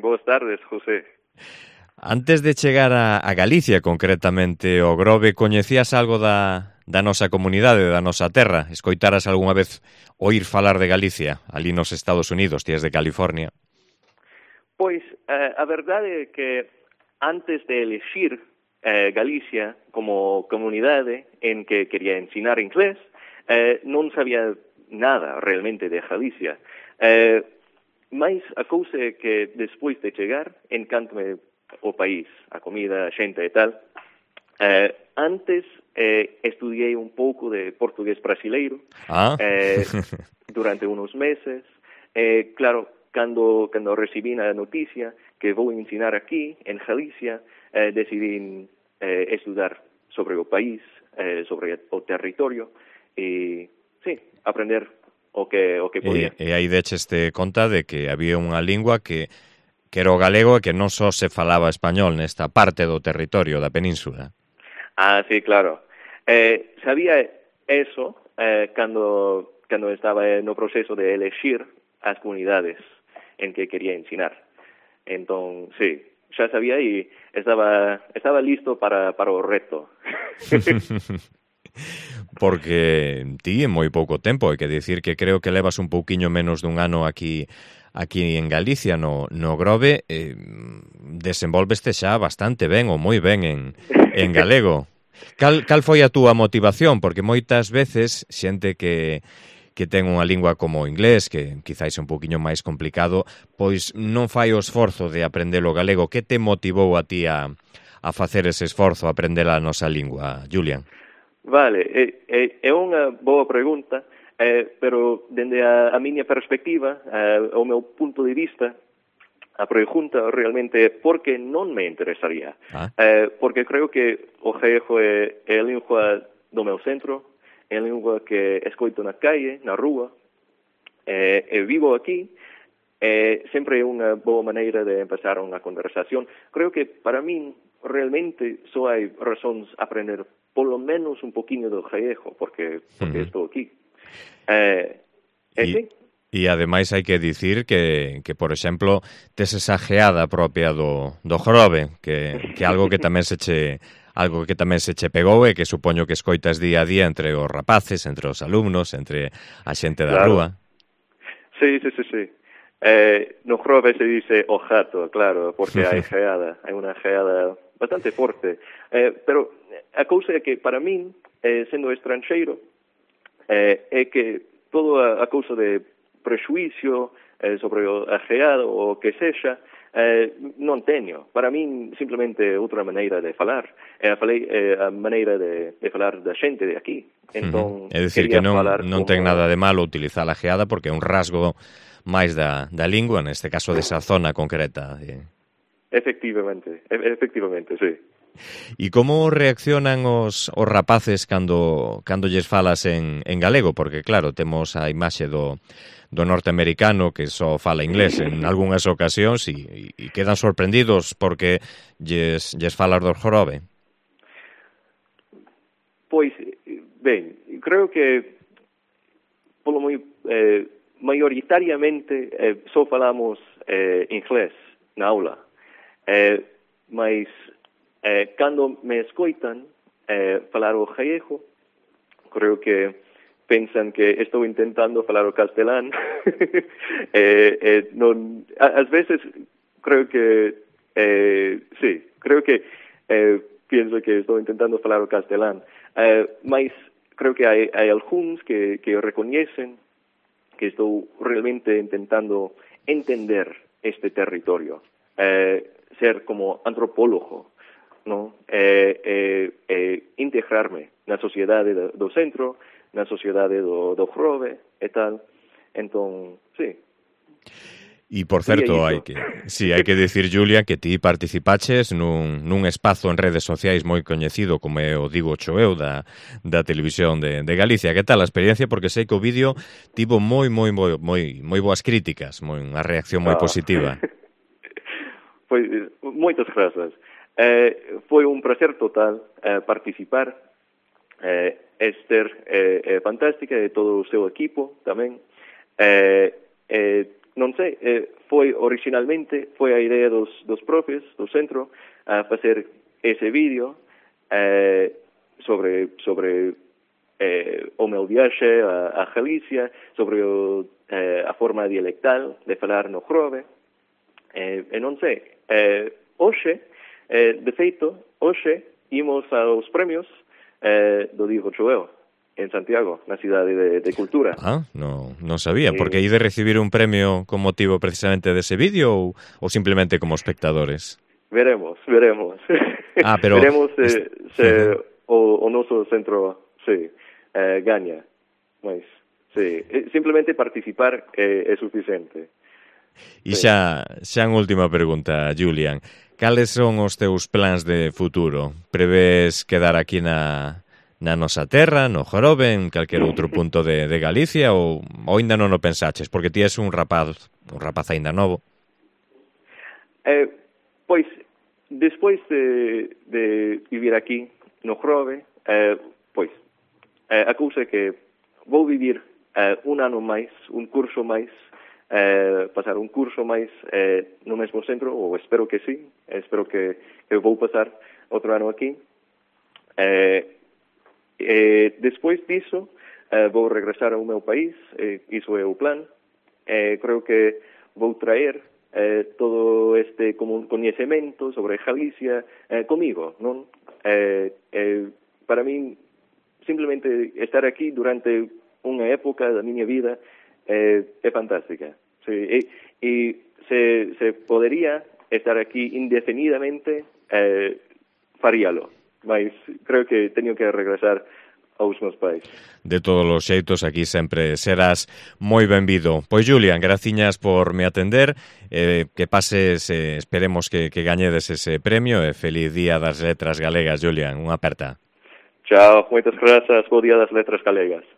boas tardes, José. Antes de chegar a Galicia, concretamente, o Grove, coñecías algo da nosa comunidade, da nosa terra? Escoitaras algunha vez oír falar de Galicia, ali nos Estados Unidos, ti és de California? Pois, a verdade é que antes de elegir Galicia como comunidade en que quería ensinar inglés, non sabía nada realmente de Galicia. Mais a cousa é que despois de chegar, encántame o país, a comida, a xente e tal. Antes estudiei un pouco de portugués brasileiro durante unos meses. Claro, cando recibí a noticia que vou ensinar aquí, en Galicia, decidí estudar sobre o país, sobre o territorio, e, sí, aprender o que podía. E aí decheste conta de que había unha lingua que era o galego e que non só se falaba español nesta parte do territorio da península. Sí, claro. Sabía eso cando estaba no proceso de elegir as comunidades en que quería ensinar. Entón, sí, xa sabía e estaba listo para o reto. Porque ti en moi pouco tempo, hai que dicir que creo que levas un pouquiño menos dun ano aquí en Galicia, no Grove, desenvolveste xa bastante ben ou moi ben en galego. Cal foi a túa motivación? Porque moitas veces xente que ten unha lingua como o inglés, que quizáis é un pouquiño máis complicado, pois non fai o esforzo de aprender o galego. Que te motivou a ti a facer ese esforzo, a aprender a nosa lingua, Julián? Vale, é unha boa pregunta, pero dende a miña perspectiva, o meu punto de vista, a pregunta realmente é por que non me interesaría. Porque creo que o galego é a lingua do meu centro, é a lingua que escoito na calle, na rúa, e vivo aquí, sempre é unha boa maneira de empezar unha conversación. Creo que para min realmente só hai razóns a aprender polo menos un poquinho do galego, porque estou aquí. Sí. E ademais hai que dicir que por exemplo, tes esa geada propia do Grove, que algo que tamén se che pegou e que supoño que escoitas día a día entre os rapaces, entre os alumnos, entre a xente da rúa. Sí. No Grove se dice o jato, claro, porque hai geada, hai unha geada bastante forte. Pero a cousa é que para min, sendo estranxeiro, é que toda a cousa de prexuicio sobre a geada ou o que sexa, non teño. Para min, simplemente outra maneira de falar. A maneira de falar da xente de aquí. Entón, é dicir, que non ten nada de malo utilizar a geada porque é un rasgo máis da lingua, neste caso desa zona concreta. Efectivamente, sí. E como reaccionan os rapaces cando lles falas en galego? Porque, claro, temos a imaxe do norteamericano que só fala inglés en algunhas ocasións e quedan sorprendidos porque lles falas do Grove. Pois, ben, creo que polo maioritariamente só falamos inglés na aula. Mas cando me escoitan falar o galego, creo que pensan que estou intentando falar o castelán. Ás veces creo que sí, creo que pienso que estou intentando falar o castelán, mas creo que hai algúns que recoñecen que estou realmente intentando entender este territorio, ser como antropólogo, ¿no? Integrarme na sociedade do centro, na sociedade do Grove e tal. Entón, sí. E, por certo, hai que dicir, Julia, que ti participaches nun espazo en redes sociais moi coñecido como é o Digo Choeu da televisión de Galicia. Que tal a experiencia? Porque sei que o vídeo tivo moi boas críticas, unha reacción moi positiva. Pois, moitas grazas. Foi un placer total participar. Esther é fantástica e todo o seu equipo tamén. non sei, originalmente foi a idea dos profes do centro a facer ese vídeo sobre o meu viaxe a Galicia, sobre a forma dialectal de falar no Grove, e non sei, hoxe, de feito, hoxe imos aos premios do Diego Choeu, en Santiago, na cidade de Cultura. Ah, non sabía, porque hai de recibir un premio con motivo precisamente dese vídeo ou simplemente como espectadores? Veremos. Ah, pero... Veremos se o noso centro gaña. Mas, simplemente participar é suficiente. E xa en última pregunta, Julián, cales son os teus plans de futuro? Prevés quedar aquí na nosa terra, no Grove, en calquer outro punto de Galicia, ou ainda non o pensaches? Porque ti és un rapaz aínda novo. Pois, despois de vivir aquí no Grove, pois, a cousa é que vou vivir un ano máis, un curso máis, pasar un curso máis no mesmo centro, ou espero que sí, espero que vou pasar outro ano aquí. Despois disso, vou regresar ao meu país, iso é o plan. Creo que vou traer todo este coñecemento sobre Galicia comigo, non? Para min, simplemente estar aquí durante unha época da miña vida é fantástica. Sí, e se podería estar aquí indefinidamente, faríalo. Mas creo que teño que regresar aos meus pais. De todos os xeitos, aquí sempre serás moi benvido. Pois, Julián, graciñas por me atender, que pases, esperemos que gañedes ese premio, e feliz Día das Letras Galegas, Julián, unha aperta. Chao, moitas grazas, bo Día das Letras Galegas.